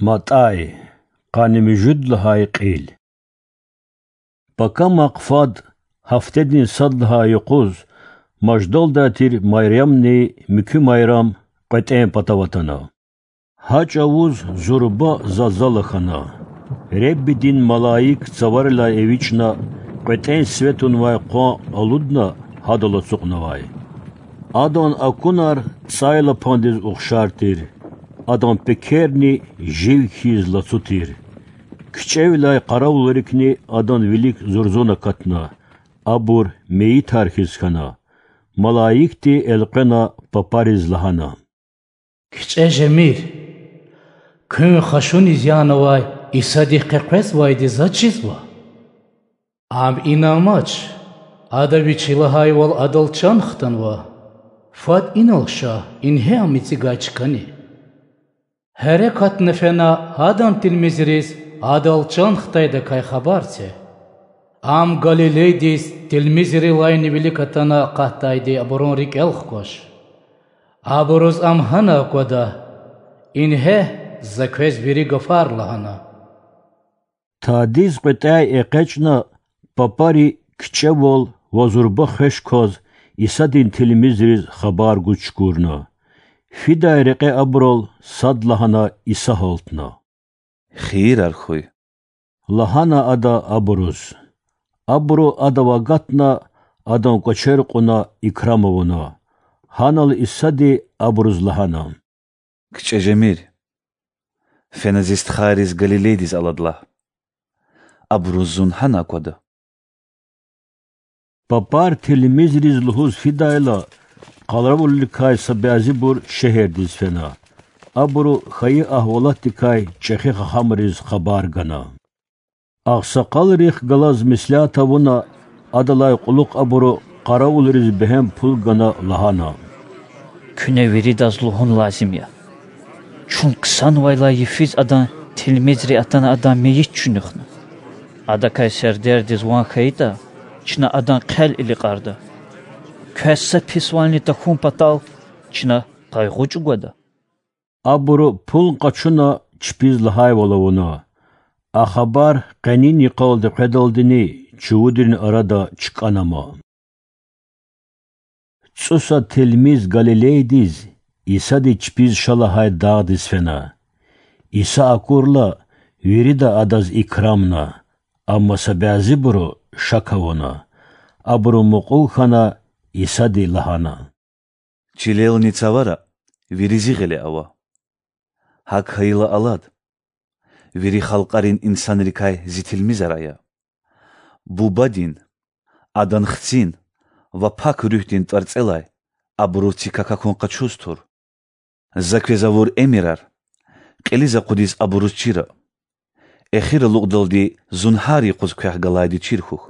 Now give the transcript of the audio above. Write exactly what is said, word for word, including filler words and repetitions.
МатӀай. Къанни муьжуьд лагьай кьил. Пакамахъ фад, гьафтедин сад лагьай юкъуз, маждалдай тир Майрамни муькуь Майрам кьветӀен патав атана. Гьа чӀавуз зурба залзала хьана. Реббидин малаик цаварилай эвичӀна, кьветӀен сиве тунвай къван алудна, гьадал ацукьнавай. Адан акунар цӀайлапандиз ухшар тир, адан пекерни жив хьиз лацу тир. КичӀевиляй къаравулрикни адан вилик зурзун акатна, абур мейитар хьиз хьана. Малаикди элкъвена папариз лагьана: КичӀе жемир. Куьн хашуниз янавай Исадихъ къекъвезвайди заз чизва. Ам ина амач, Ада Вичи лагьайвал Адал чан хтанва. Фад инал ша, ингье Ам эцигай чкани. Гьерекатна фена Адан тилмизриз Адал чан хтайдакай хабар це. Ам Галилейдиз тилмизрилайни вилик атана акъатдайди абурун рикӀел хкваш. Абуруз Ам гьана аквада. Ингье, За квез вири гафар лагьана. Тадиз кьветӀяй экъечӀна, папари кичӀевал ва зурба хвеш кваз Исадин тилмизриз хабар гуз чукурна. Фидай рекье абурал садлагьана Иса гьалтна. Хийирар хьуй,– лагьана Ада абуруз. Абуру Адав агатна, Адан кӀвачер кьуна икрам авуна. Гьанал Исади абуруз лагьана: КичӀе жемир. Фена Зи стхайриз Галилейдиз алад лагь. Абуруз Зун гьана аквада. Папар тилмизриз лугьуз фидайла, къаравулрикай са бязибур шегьердиз фена. Абуру хьайи агьвалатдикай чӀехи хахамриз хабар гана. Агъсакъалрихъ галаз меслят авуна, адалай кьулухъ абуру къаравулриз бегьем пул гана лагьана: Куьне виридаз лугьун лазим я: чун ксанвайла йифиз Адан тилмизри атана Адан мейит чуьнуьхна. Адакай сердердиз ван хьайитӀа, чна Адан хъел иликьарда. Квез са писвални тахьун патал чна къайгъу чӀугвада. Абуру пул къачуна чпиз лагьайвал авуна. А хабар къенин йикъалди къведалдини чувудрин арада чкӀанама. ЦӀусад тилмиз Галилейдиз, Исади чпиз ша лагьай дагъдиз фена. Иса акурла, вирида Адаз икрамна, амма са бязибуру шак авуна. Абуру мукьув хьана, Исади лагьана: Чилелни цавара вири Зи гъиле ава. ГьакӀ хьайила алад: вири халкьарин инсанрикай Зи тилмизар ая. Бубадин, Адан Хцин ва Пак Руьгьдин тӀварцӀелай абуруз зи как акун къачуз тур. За квез авур эмирар кьилиз акъудиз абуруз чира. Эхир алукьдалди Зун гьар юкъуз квехъ галайди чир хьухь.